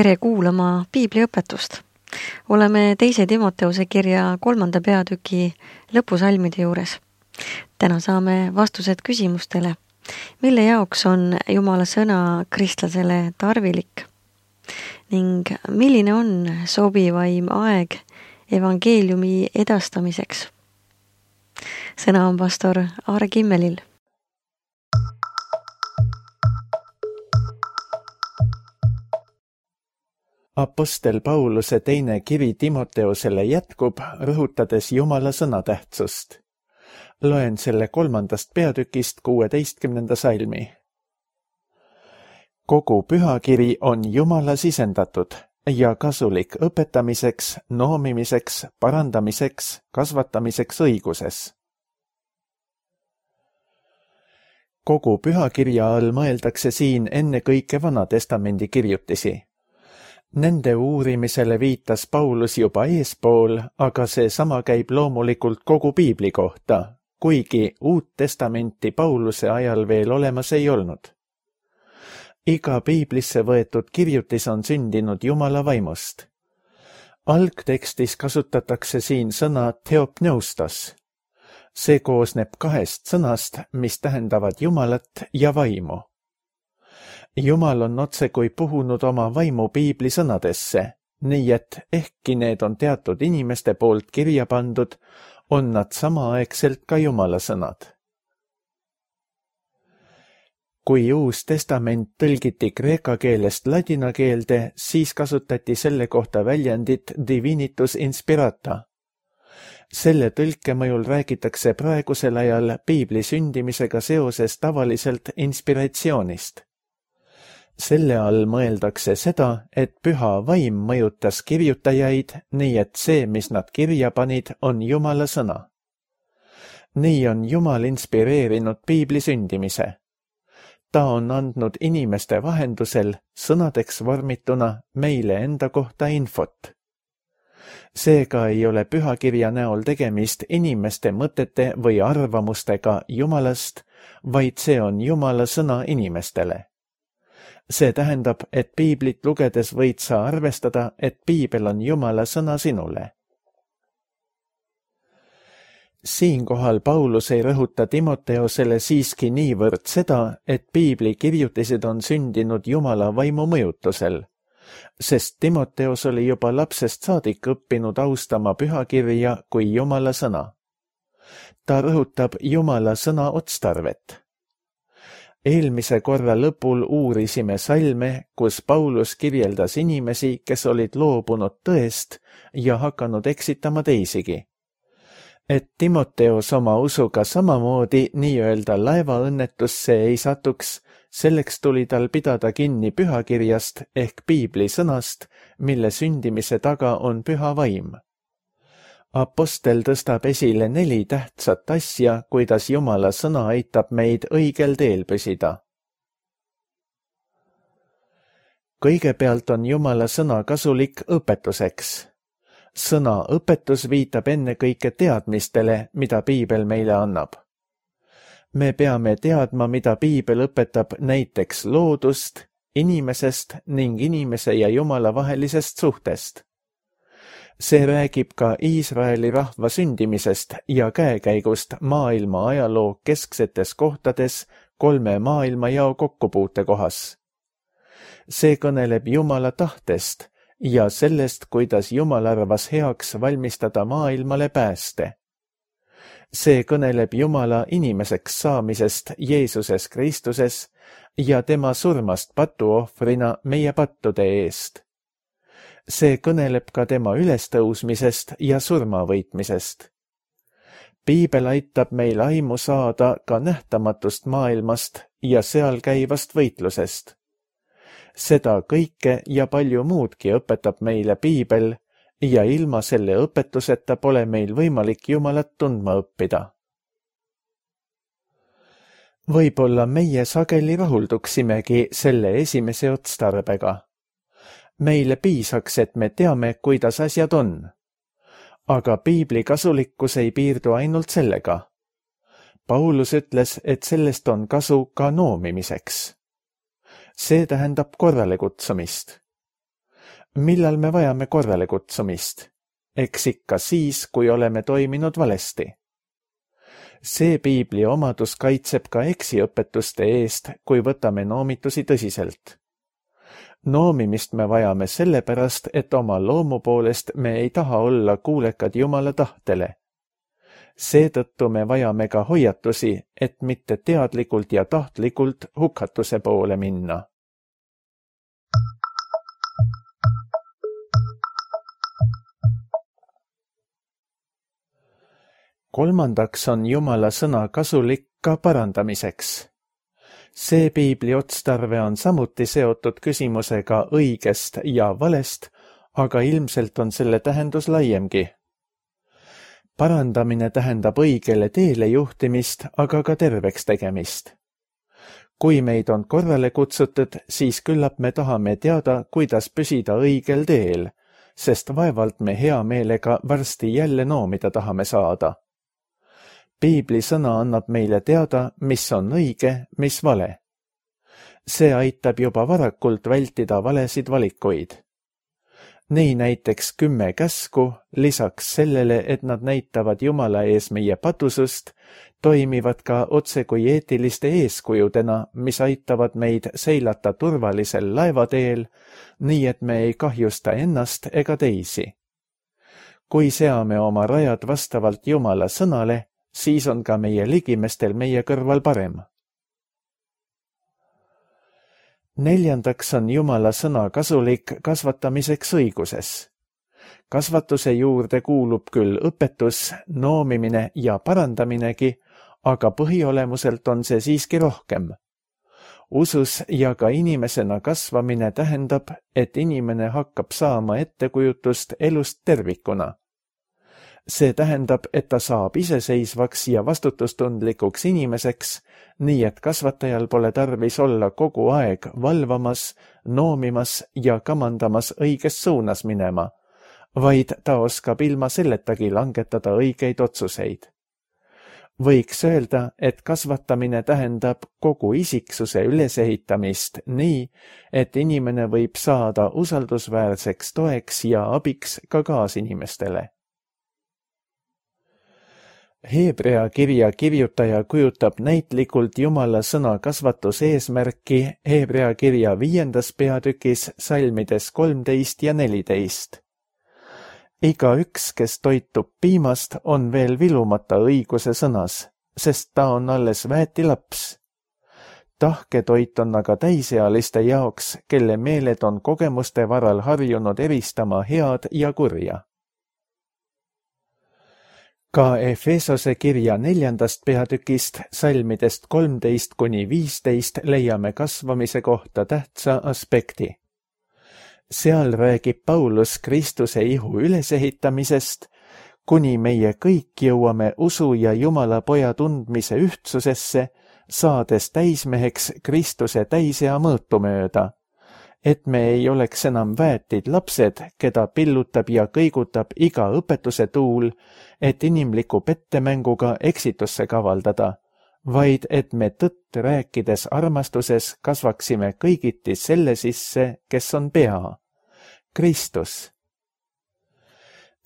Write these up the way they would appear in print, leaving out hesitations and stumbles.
Tere kuulama piibliõpetust. Oleme 2. Timoteuse kirja 3. peatüki lõpusalmide juures. Täna saame vastused küsimustele, mille jaoks on Jumala sõna kristlasele tarvilik ning milline on sobivaim aeg evangeeliumi edastamiseks. Sõna on pastor Aare Kimmelil. Apostel Pauluse teine kiri Timoteusele jätkub, rõhutades Jumala sõna tähtsust. Loen selle 3. peatükist 16. salmi. Kogu pühakiri on Jumala sisendatud ja kasulik õpetamiseks, noomimiseks, parandamiseks, kasvatamiseks õiguses. Kogu pühakirja all mõeldakse siin ennekõike Vana Testamendi kirjutisi. Nende uurimisele viitas Paulus juba eespool, aga see sama käib loomulikult kogu piibli kohta, kuigi Uut Testamenti Pauluse ajal veel olemas ei olnud. Iga piiblisse võetud kirjutis on sündinud Jumala vaimust. Algtekstis kasutatakse siin sõna theopneustos. See koosneb 2 sõnast, mis tähendavad Jumalat ja vaimu. Jumal on otsekui puhunud oma vaimu piibli sõnadesse, nii et ehkki need on teatud inimeste poolt kirja pandud, on nad samaaegselt ka Jumala sõnad. Kui Uus Testament tõlgiti kreeka keelest ladina keelde, siis kasutati selle kohta väljendit divinitus inspirata. Selle tõlke mõjul räägitakse praegusel ajal piibli sündimisega seoses tavaliselt inspiratsioonist. Selle all mõeldakse seda, et püha vaim mõjutas kirjutajaid, nii et see, mis nad kirja panid, on Jumala sõna. Nii on Jumal inspireerinud piibli sündimise. Ta on andnud inimeste vahendusel sõnadeks vormituna meile enda kohta infot. Seega ei ole pühakirja näol tegemist inimeste mõtete või arvamustega Jumalast, vaid see on Jumala sõna inimestele. See tähendab, et piiblit lugedes võid sa arvestada, et piibel on Jumala sõna sinule. Siinkohal Paulus ei rõhuta Timoteusele siiski niivõrd seda, et piibli kirjutised on sündinud Jumala vaimu mõjutusel, sest Timoteus oli juba lapsest saadik õppinud austama pühakirja kui Jumala sõna. Ta rõhutab Jumala sõna otstarvet. Eelmise korra lõpul uurisime salme, kus Paulus kirjeldas inimesi, kes olid loobunud tõest ja hakanud eksitama teisigi. Et Timoteus oma usuga samamoodi nii-öelda laevaõnnetusse ei satuks, selleks tuli tal pidada kinni pühakirjast ehk piibli sõnast, mille sündimise taga on püha vaim. Apostel tõstab esile 4 tähtsat asja, kuidas Jumala sõna aitab meid õigel teel püsida. Kõigepealt on Jumala sõna kasulik õpetuseks. Sõna õpetus viitab ennekõike teadmistele, mida piibel meile annab. Me peame teadma, mida piibel õpetab näiteks loodust, inimesest ning inimese ja Jumala vahelisest suhtest. See räägib ka Iisraeli rahva sündimisest ja käekäigust maailma ajaloo kesksetes kohtades 3 maailmajao kokkupuutekohas. See kõneleb Jumala tahtest ja sellest, kuidas Jumal arvas heaks valmistada maailmale pääste. See kõneleb Jumala inimeseks saamisest Jeesuses Kristuses ja tema surmast patuohvrina meie pattude eest. See kõneleb ka tema ülestõusmisest ja surmavõitmisest. Piibel aitab meil aimu saada ka nähtamatust maailmast ja seal käivast võitlusest. Seda kõike ja palju muudki õpetab meile piibel ja ilma selle õpetuseta pole meil võimalik Jumalat tundma õppida. Võib-olla meie sageli rahulduksimegi selle esimese otstarbega. Meile piisaks, et me teame, kuidas asjad on. Aga piibli kasulikkus ei piirdu ainult sellega. Paulus ütles, et sellest on kasu ka noomimiseks. See tähendab korrale kutsumist. Millal me vajame korrale kutsumist? Eks ikka siis, kui oleme toiminud valesti. See piibli omadus kaitseb ka eksiõpetuste eest, kui võtame noomitusi tõsiselt. Noomimist me vajame sellepärast, et oma loomu poolest me ei taha olla kuulekad Jumala tahtele. Seetõttu me vajame ka hoiatusi, et mitte teadlikult ja tahtlikult hukatuse poole minna. Kolmandaks on Jumala sõna kasulik ka parandamiseks. See piibli otstarve on samuti seotud küsimusega õigest ja valest, aga ilmselt on selle tähendus laiemgi. Parandamine tähendab õigele teele juhtimist, aga ka terveks tegemist. Kui meid on korrale kutsutud, siis küllap me tahame teada, kuidas püsida õigel teel, sest vaevalt me hea meelega varsti jälle noomida tahame saada. Piibli sõna annab meile teada, mis on õige, mis vale. See aitab juba varakult vältida valesid valikuid. Nii näiteks 10 käsku, lisaks sellele, et nad näitavad Jumala ees meie patusust, toimivad ka otse kui eetiliste eeskujudena, mis aitavad meid seilata turvalisel laevateel, nii et me ei kahjusta ennast ega teisi. Kui seame oma rajad vastavalt Jumala sõnale, siis on ka meie ligimestel meie kõrval parem. Neljandaks on Jumala sõna kasulik kasvatamiseks õiguses. Kasvatuse juurde kuulub küll õpetus, noomimine ja parandaminegi, aga põhiolemuselt on see siiski rohkem. Usus ja ka inimesena kasvamine tähendab, et inimene hakkab saama ettekujutust elust tervikuna. See tähendab, et ta saab iseseisvaks ja vastutustundlikuks inimeseks, nii et kasvatajal pole tarvis olla kogu aeg valvamas, noomimas ja kamandamas õiges suunas minema, vaid ta oskab ilma selletagi langetada õigeid otsuseid. Võiks öelda, et kasvatamine tähendab kogu isiksuse ülesehitamist nii, et inimene võib saada usaldusväärseks toeks ja abiks ka kaasinimestele. Hebrea kirja kirjutaja kujutab näitlikult Jumala sõna kasvatuse eesmärki Hebrea kirja 5. peatükis salmides 13 ja 14. Igaüks, kes toitub piimast, on veel vilumata õiguse sõnas, sest ta on alles väeti laps. Tahketoit on aga täisealiste jaoks, kelle meeled on kogemuste varal harjunud eristama head ja kurja. Ka Efesose kirja 4. peatükist salmidest 13–15 leiame kasvamise kohta tähtsa aspekti. Seal räägib Paulus Kristuse ihu ülesehitamisest, kuni meie kõik jõuame usu ja Jumala poja tundmise ühtsusesse, saades täismeheks Kristuse täisea mõõtu mööda, et me ei oleks enam väetid lapsed, keda pillutab ja kõigutab iga õpetuse tuul, et inimliku pettemänguga eksitusse kavaldada, vaid et me tõtt rääkides armastuses kasvaksime kõigiti selle sisse, kes on pea, Kristus.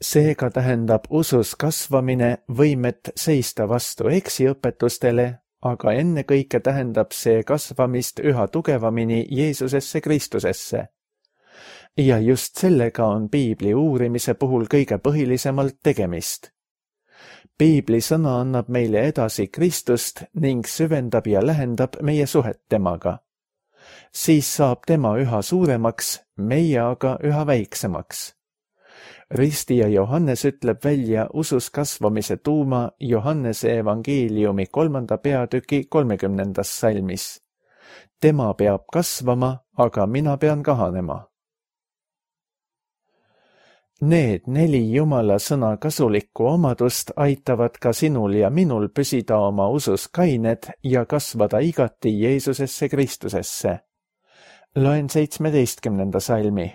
Seega tähendab usus kasvamine võimet seista vastu eksiõpetustele, aga ennekõike tähendab see kasvamist üha tugevamini Jeesusesse Kristusesse. Ja just sellega on piibli uurimise puhul kõige põhilisemalt tegemist. Piibli sõna annab meile edasi Kristust ning süvendab ja lähendab meie suhet temaga. Siis saab tema üha suuremaks, meie aga üha väiksemaks. Ristija Johannes ütleb välja usus kasvamise tuuma Johannese evangeeliumi 3. peatüki 30. salmis. Tema peab kasvama, aga mina pean kahanema. Need 4 Jumala sõna kasulikku omadust aitavad ka sinul ja minul püsida oma usus kained ja kasvada igati Jeesusesse Kristusesse. Loen 17. salmi.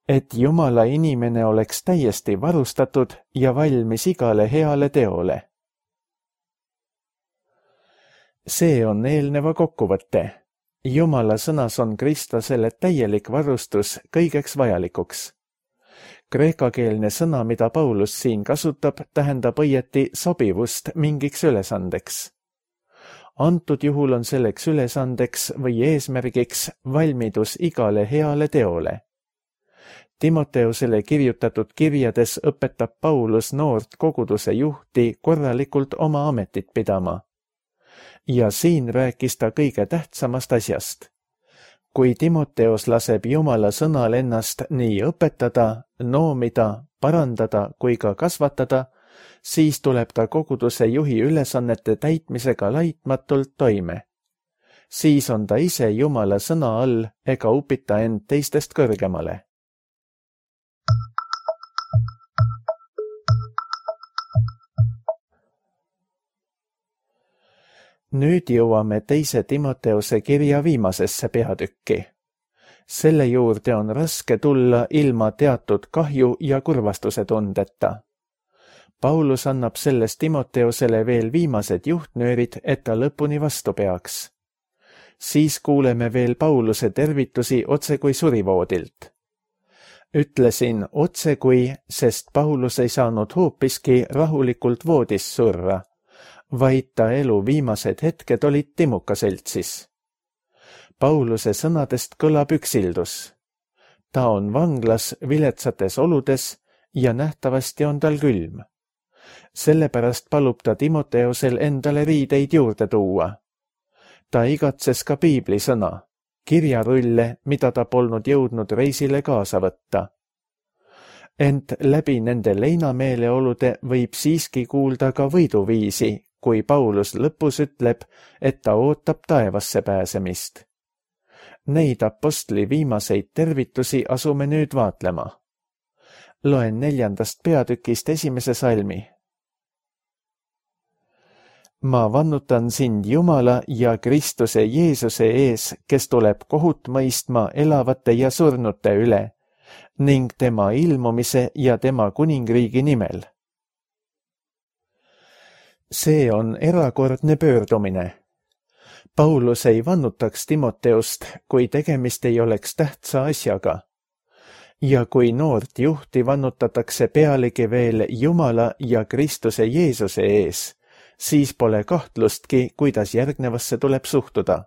Et Jumala inimene oleks täiesti varustatud ja valmis igale heale teole. See on eelneva kokkuvõte. Jumala sõnas on Kristusele täielik varustus kõigeks vajalikuks. Kreekakeelne sõna, mida Paulus siin kasutab, tähendab õieti sobivust mingiks ülesandeks. Antud juhul on selleks ülesandeks või eesmärgiks valmidus igale heale teole. Timoteusele kirjutatud kirjades õpetab Paulus noort koguduse juhti korralikult oma ametit pidama. Ja siin rääkis ta kõige tähtsamast asjast. Kui Timoteus laseb Jumala sõnal ennast nii õpetada, noomida, parandada kui ka kasvatada, siis tuleb ta koguduse juhi ülesannete täitmisega laitmatult toime. Siis on ta ise Jumala sõna all ega upita end teistest kõrgemale. Nüüd jõuame teise Timoteuse kirja viimasesse peatükki. Selle juurde on raske tulla ilma teatud kahju ja kurvastuse tundeta. Paulus annab sellest Timoteusele veel viimased juhtnöörid, et ta lõpuni vastu peaks. Siis kuuleme veel Pauluse tervitusi otsekui surivoodilt. Ütlesin otsekui, sest Paulus ei saanud hoopiski rahulikult voodis surra, vaid ta elu viimased hetked olid timukaseltsis. Pauluse sõnadest kõlab üksildus. Ta on vanglas viletsates oludes ja nähtavasti on tal külm. Sellepärast palub ta Timoteusel endale riideid juurde tuua. Ta igatses ka piibli sõna, kirjarulle, mida ta polnud jõudnud reisile kaasa võtta. Ent läbi nende leinameeleolude võib siiski kuulda ka võiduviisi, kui Paulus lõpus ütleb, et ta ootab taevasse pääsemist. Neid apostli viimaseid tervitusi asume nüüd vaatlema. Loen 4. peatükist 1. salmi. Ma vannutan sind Jumala ja Kristuse Jeesuse ees, kes tuleb kohut mõistma elavate ja surnute üle, ning tema ilmumise ja tema kuningriigi nimel. See on erakordne pöördumine. Paulus ei vannutaks Timoteust, kui tegemist ei oleks tähtsa asjaga. Ja kui noort juhti vannutatakse pealegi veel Jumala ja Kristuse Jeesuse ees, siis pole kahtlustki, kuidas järgnevasse tuleb suhtuda.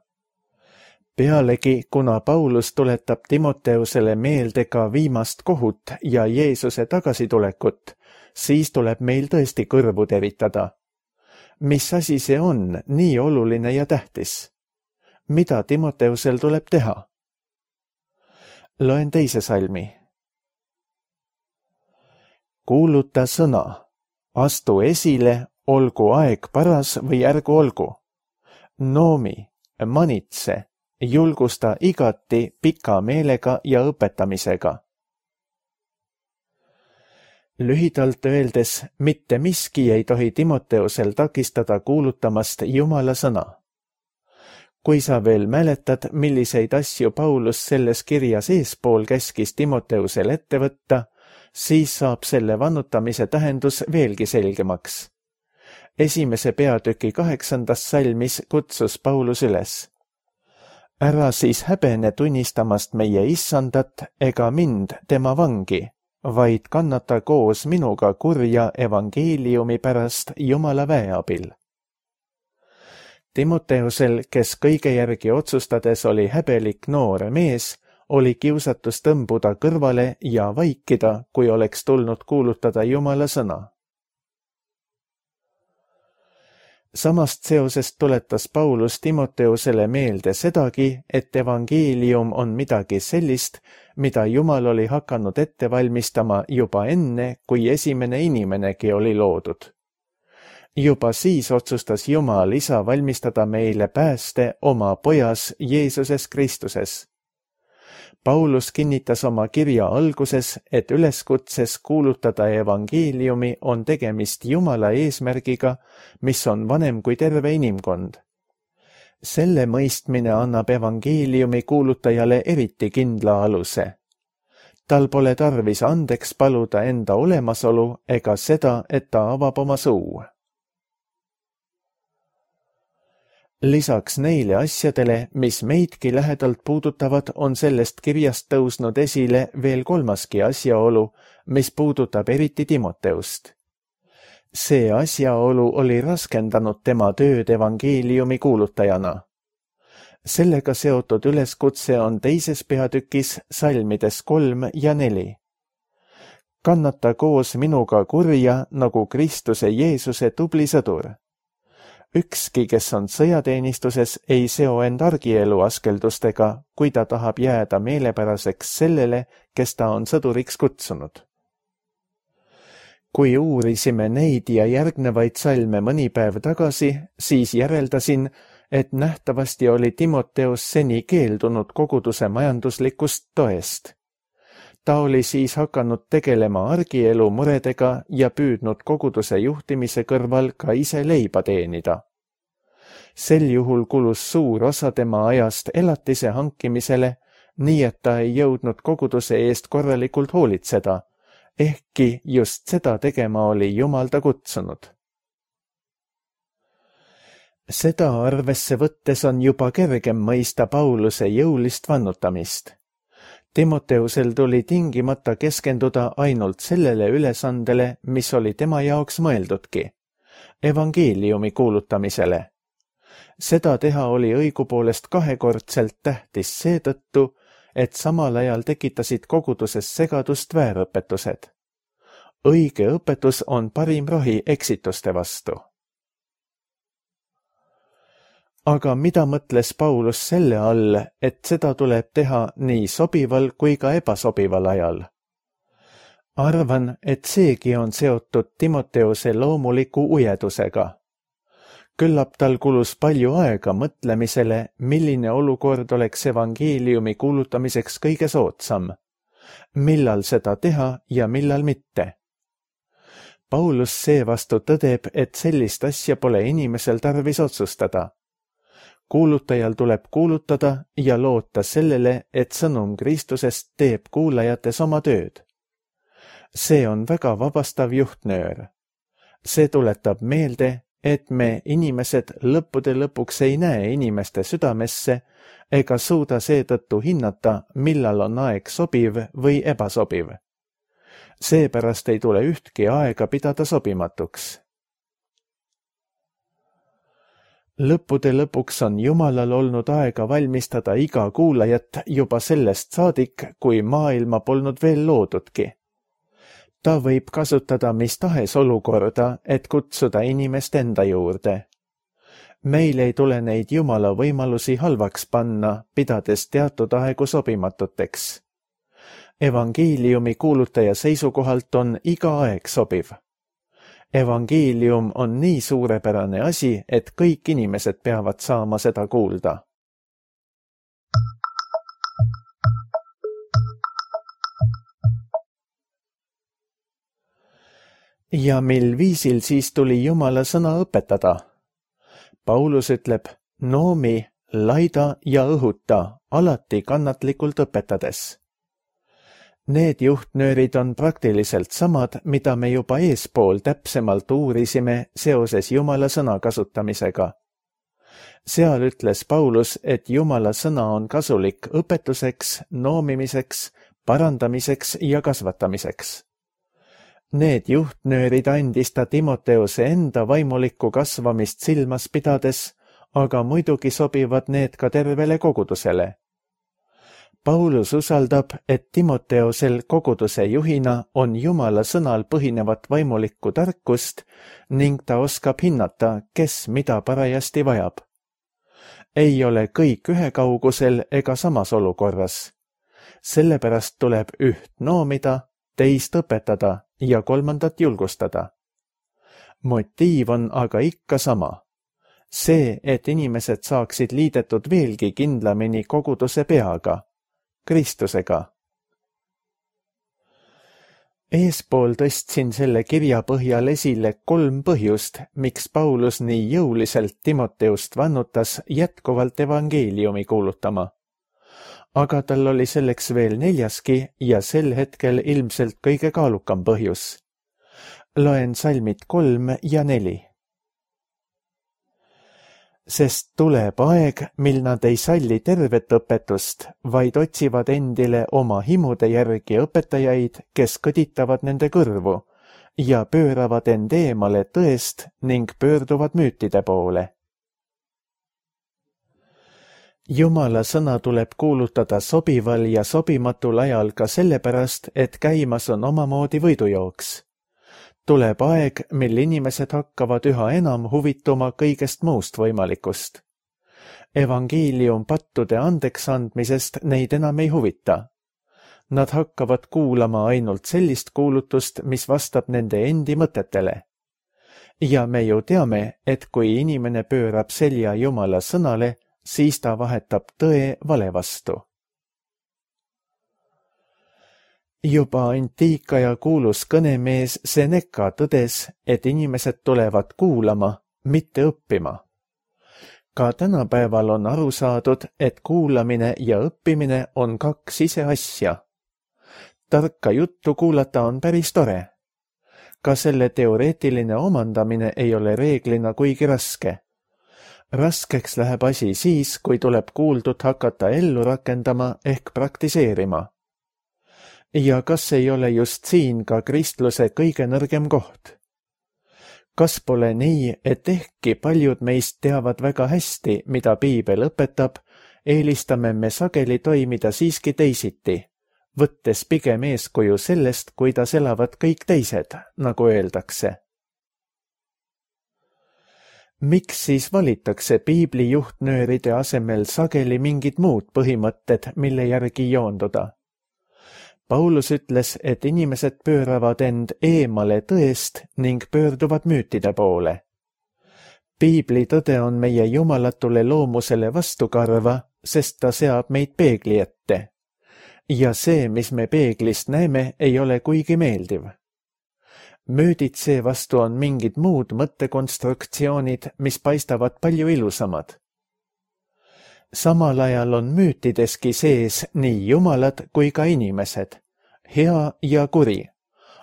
Pealegi, kuna Paulus tuletab Timoteusele meelde ka viimast kohut ja Jeesuse tagasitulekut, siis tuleb meil tõesti kõrvu teritada. Mis asi see on nii oluline ja tähtis? Mida Timoteusel tuleb teha? Loen 2. salmi. Kuuluta sõna, astu esile, olgu aeg paras või ärgu olgu. Noomi, manitse, julgusta igati pika meelega ja õpetamisega. Lühidalt öeldes, mitte miski ei tohi Timoteusel takistada kuulutamast Jumala sõna. Kui sa veel mäletad, milliseid asju Paulus selles kirjas eespool käskis Timoteusel ette võtta, siis saab selle vannutamise tähendus veelgi selgemaks. 1. peatüki 8. salmis kutsus Paulus üles. Ära siis häbene tunnistamast meie issandat ega mind, tema vangi, vaid kannata koos minuga kurja evangeeliumi pärast Jumala väe abil. Timoteusel, kes kõige järgi otsustades oli häbelik noor mees, oli kiusatus tõmbuda kõrvale ja vaikida, kui oleks tulnud kuulutada Jumala sõna. Samast seosest tuletas Paulus Timoteusele meelde sedagi, et evangeelium on midagi sellist, mida Jumal oli hakanud ette valmistama juba enne, kui esimene inimenegi oli loodud. Juba siis otsustas Jumal isa valmistada meile pääste oma pojas Jeesuses Kristuses. Paulus kinnitas oma kirja alguses, et üleskutses kuulutada evangeeliumi on tegemist Jumala eesmärgiga, mis on vanem kui terve inimkond. Selle mõistmine annab evangeeliumi kuulutajale eriti kindla aluse. Tal pole tarvis andeks paluda enda olemasolu ega seda, et ta avab oma suu. Lisaks neile asjadele, mis meidki lähedalt puudutavad, on sellest kirjast tõusnud esile veel kolmaski asjaolu, mis puudutab eriti Timoteust. See asjaolu oli raskendanud tema tööd evangeeliumi kuulutajana. Sellega seotud üleskutse on teises peatükis salmides 3 ja 4. Kannata koos minuga kurja nagu Kristuse Jeesuse tubli sõdur. Ükski, kes on sõjateenistuses, ei seo end argielu askeldustega, kui ta tahab jääda meelepäraseks sellele, kes ta on sõduriks kutsunud. Kui uurisime neid ja järgnevaid salme mõni päev tagasi, siis järeldasin, et nähtavasti oli Timoteus seni keeldunud koguduse majanduslikust toest. Ta oli siis hakanud tegelema argielu muredega ja püüdnud koguduse juhtimise kõrval ka ise leiba teenida. Sel juhul kulus suur osa tema ajast elatise hankimisele, nii et ta ei jõudnud koguduse eest korralikult hoolitseda, ehkki just seda tegema oli Jumal ta kutsunud. Seda arvesse võttes on juba kergem mõista Pauluse jõulist vannutamist. Timoteusel tuli tingimata keskenduda ainult sellele ülesandele, mis oli tema jaoks mõeldudki, evangeeliumi kuulutamisele. Seda teha oli õigupoolest kahekordselt tähtis seetõttu, et samal ajal tekitasid koguduses segadust väärõpetused. Õige õpetus on parim rohi eksituste vastu. Aga mida mõtles Paulus selle all, et seda tuleb teha nii sobival kui ka ebasobival ajal? Arvan, et seegi on seotud Timoteuse loomuliku ujedusega. Küllap tal kulus palju aega mõtlemisele, milline olukord oleks evangeeliumi kuulutamiseks kõige soodsam, millal seda teha ja millal mitte. Paulus seevastu tõdeb, et sellist asja pole inimesel tarvis otsustada. Kuulutajal tuleb kuulutada ja loota sellele, et sõnum Kristusest teeb kuulajates oma tööd. See on väga vabastav juhtnöör. See tuletab meelde, et me inimesed lõppude lõpuks ei näe inimeste südamesse ega suuda seetõttu hinnata, millal on aeg sobiv või ebasobiv. Seepärast ei tule ühtki aega pidada sobimatuks. Lõppude lõpuks on Jumalal olnud aega valmistada iga kuulajat juba sellest saadik, kui maailma polnud veel loodudki. Ta võib kasutada mis tahes olukorda, et kutsuda inimest enda juurde. Meil ei tule neid Jumala võimalusi halvaks panna, pidades teatud aegu sobimatuteks. Evangeeliumi kuulutaja seisukohalt on iga aeg sobiv. Evangeelium on nii suurepärane asi, et kõik inimesed peavad saama seda kuulda. Ja mil viisil siis tuli Jumala sõna õpetada? Paulus ütleb, noomi, laida ja õhuta, alati kannatlikult õpetades. Need juhtnöörid on praktiliselt samad, mida me juba eespool täpsemalt uurisime seoses Jumala sõna kasutamisega. Seal ütles Paulus, et Jumala sõna on kasulik õpetuseks, noomimiseks, parandamiseks ja kasvatamiseks. Need juhtnöörid andis ta Timoteuse enda vaimulikku kasvamist silmas pidades, aga muidugi sobivad need ka tervele kogudusele. Paulus usaldab, et Timoteusel koguduse juhina on Jumala sõnal põhinevat vaimulikku tarkust ning ta oskab hinnata, kes mida parajasti vajab. Ei ole kõik ühekaugusel ega samas olukorras. Sellepärast tuleb üht noomida, teist õpetada ja kolmandat julgustada. Motiiv on aga ikka sama. See, et inimesed saaksid liidetud veelgi kindlamini koguduse peaga, Kristusega. Eespool tõstsin selle kirja põhjal esile 3 põhjust, miks Paulus nii jõuliselt Timoteust vannutas jätkuvalt evangeeliumi kuulutama. Aga tal oli selleks veel 4. ja sel hetkel ilmselt kõige kaalukam põhjus. Loen salmid 3 ja 4. sest tuleb aeg, mil nad ei salli tervet õpetust, vaid otsivad endile oma himude järgi õpetajaid, kes kõditavad nende kõrvu ja pööravad end eemale tõest ning pöörduvad müütide poole. Jumala sõna tuleb kuulutada sobival ja sobimatul ajal ka sellepärast, et käimas on omamoodi võidujooks. Tuleb aeg, mil inimesed hakkavad üha enam huvituma kõigest muust võimalikust. Evangeelium pattude andeks andmisest neid enam ei huvita. Nad hakkavad kuulama ainult sellist kuulutust, mis vastab nende endi mõtetele. Ja me ju teame, et kui inimene pöörab selja Jumala sõnale, siis ta vahetab tõe vale vastu. Juba antiikaja kuulus kõnemees Seneca tõdes, et inimesed tulevad kuulama, mitte õppima. Ka tänapäeval on aru saadud, et kuulamine ja õppimine on kaks ise asja. Tarka juttu kuulata on päris tore. Ka selle teoreetiline omandamine ei ole reeglina kuigi raske. Raskeks läheb asi siis, kui tuleb kuuldut hakata ellu rakendama ehk praktiseerima. Ja kas ei ole just siin ka kristluse kõige nõrgem koht? Kas pole nii, et ehkki paljud meist teavad väga hästi, mida piibel õpetab, eelistame me sageli toimida siiski teisiti, võttes pigem eeskuju sellest, kuidas elavad kõik teised, nagu öeldakse. Miks siis valitakse piibli juhtnööride asemel sageli mingid muud põhimõtted, mille järgi joonduda? Paulus ütles, et inimesed pööravad end eemale tõest ning pöörduvad müütide poole. Piibli tõde on meie jumalatule loomusele vastukarva, sest ta seab meid peegli ette. Ja see, mis me peeglist näeme, ei ole kuigi meeldiv. Müüdid seevastu on mingid muud mõttekonstruktsioonid, mis paistavad palju ilusamad. Samal ajal on müütideski sees nii jumalad kui ka inimesed, hea ja kuri,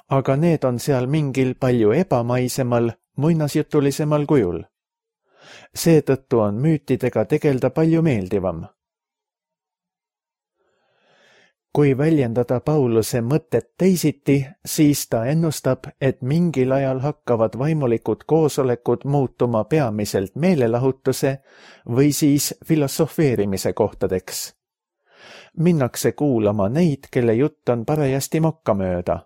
aga need on seal mingil palju ebamaisemal, muinasjutulisemal kujul. Seetõttu on müütidega tegelda palju meeldivam. Kui väljendada Pauluse mõtet teisiti, siis ta ennustab, et mingil ajal hakkavad vaimulikud koosolekud muutuma peamiselt meelelahutuse või siis filosofeerimise kohtadeks. Minnakse kuulama neid, kelle jutt on parajasti mokkamööda.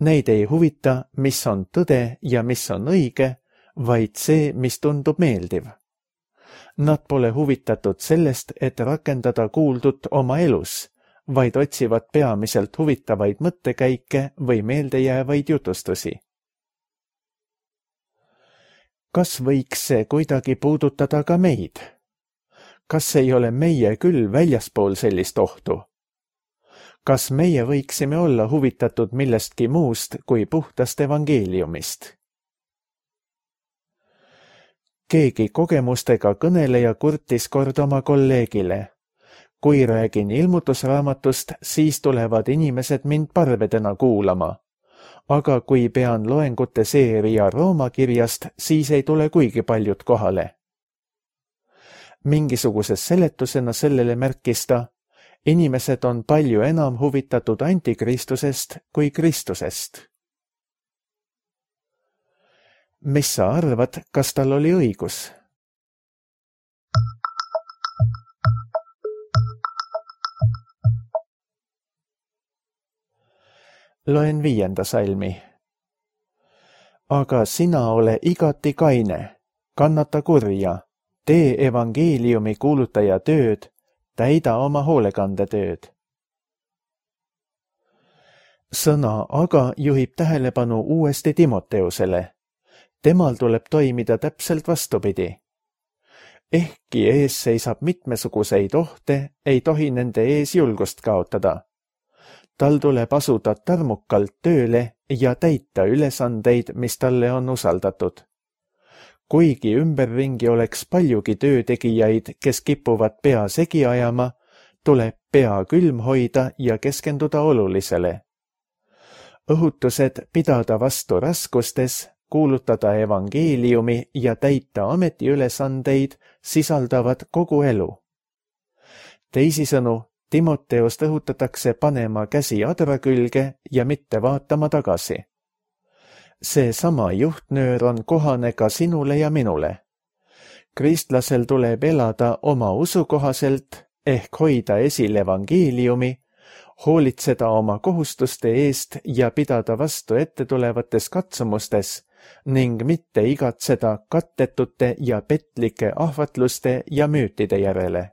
Neid ei huvita, mis on tõde ja mis on õige, vaid see, mis tundub meeldiv. Nad pole huvitatud sellest, et rakendada kuuldut oma elus, vaid otsivad peamiselt huvitavaid mõttekäike või meeldejäävaid jutustusi. Kas võiks see kuidagi puudutada ka meid? Kas ei ole meie küll väljaspool sellist ohtu? Kas meie võiksime olla huvitatud millestki muust kui puhtast evangeeliumist? Keegi kogemustega kõneleja kurtis kord oma kolleegile. Kui räägin ilmutusraamatust, siis tulevad inimesed mind parvedena kuulama. Aga kui pean loengute seeria Rooma kirjast, siis ei tule kuigi paljud kohale. Mingisuguses seletusena sellele märkis ta, inimesed on palju enam huvitatud antikristusest kui Kristusest. Mis sa arvad, kas tal oli õigus? Loen 5. salmi. Aga sina ole igati kaine, kannata kurja, tee evangeeliumi kuulutaja tööd, täida oma hoolekandetööd. Sõna aga juhib tähelepanu uuesti Timoteusele. Temal tuleb toimida täpselt vastupidi. Ehkki ees seisab mitmesuguseid ohte, ei tohi nende ees julgust kaotada. Tal tuleb asuda tarmukalt tööle ja täita ülesandeid, mis talle on usaldatud. Kuigi ümberringi oleks paljugi töötegijaid, kes kipuvad pea segi ajama, tuleb pea külm hoida ja keskenduda olulisele. Õhutused pidada vastu raskustes, kuulutada evangeeliumi ja täita ametiülesandeid sisaldavad kogu elu. Teisisõnu, Timoteost õhutatakse panema käsi adra külge ja mitte vaatama tagasi. See sama juhtnöör on kohane ka sinule ja minule. Kristlasel tuleb elada oma usu kohaselt ehk hoida esil evangeeliumi, hoolitseda oma kohustuste eest ja pidada vastu ette tulevates katsumustes ning mitte igatseda kattetute ja petlike ahvatluste ja müütide järele.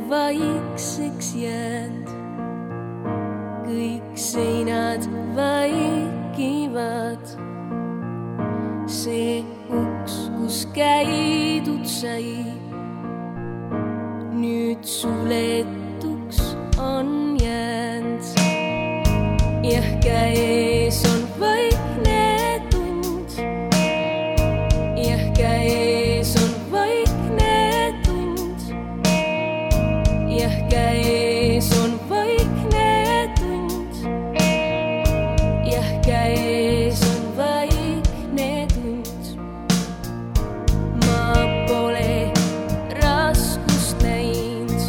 Vaikseks jäänd, kõik seinad vaikivad. See uks, kus käidud sai, nüüd suletuks on jäänd. Jah, käes on vaikne tund, jah, käes on käes on vaikne tund, jah, käes on vaikne tund. Ma pole raskust näinud,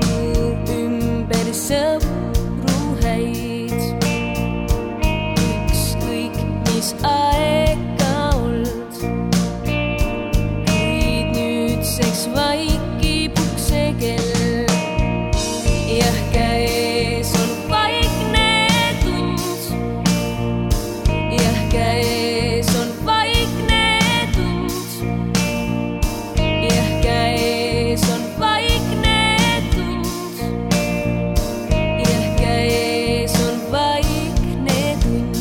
mu ümber sõpru häid. Ükskõik, mis aega old, kuid nüüdseks vaikib ukse kell. Jah, käes on vaikne tund, jah, käes on vaikne tund, jah, käes on vaikne tund, jah, käes on vaikne tund.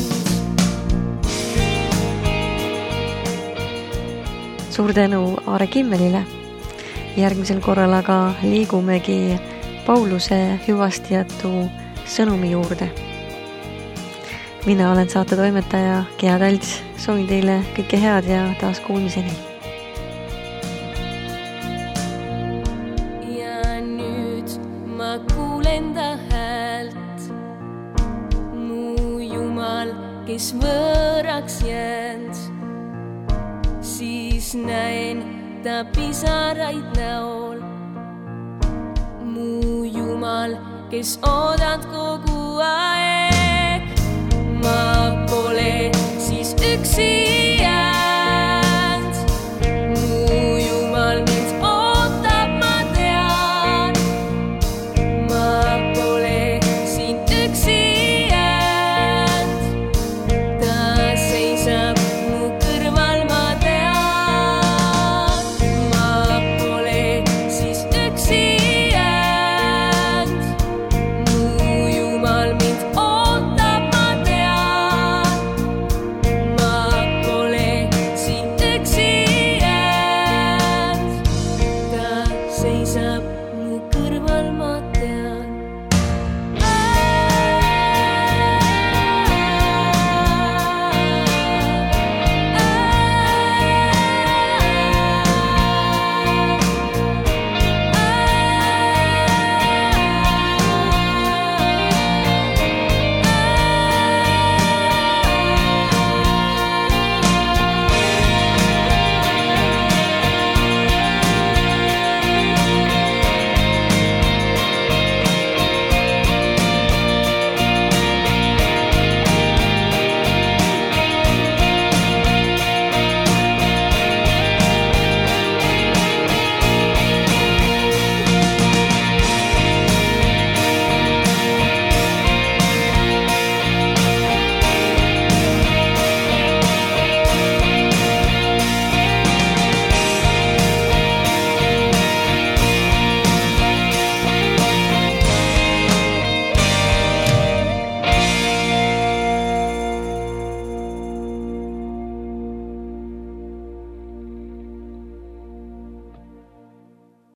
Suur tänu Aare Kimmelile. Järgmisel korral aga liigumegi Pauluse hüvastijätu sõnumi juurde. Mina olen saate toimetaja Gea Talts. Soovin teile kõike head ja taas kuulmiseni. Ja nüüd ma kuulen ta häält, mu Jumal, kes võõraks jäänd. Siis näen ta pisaraid näol, mu Jumal, kes oodad kogu aeg. Ma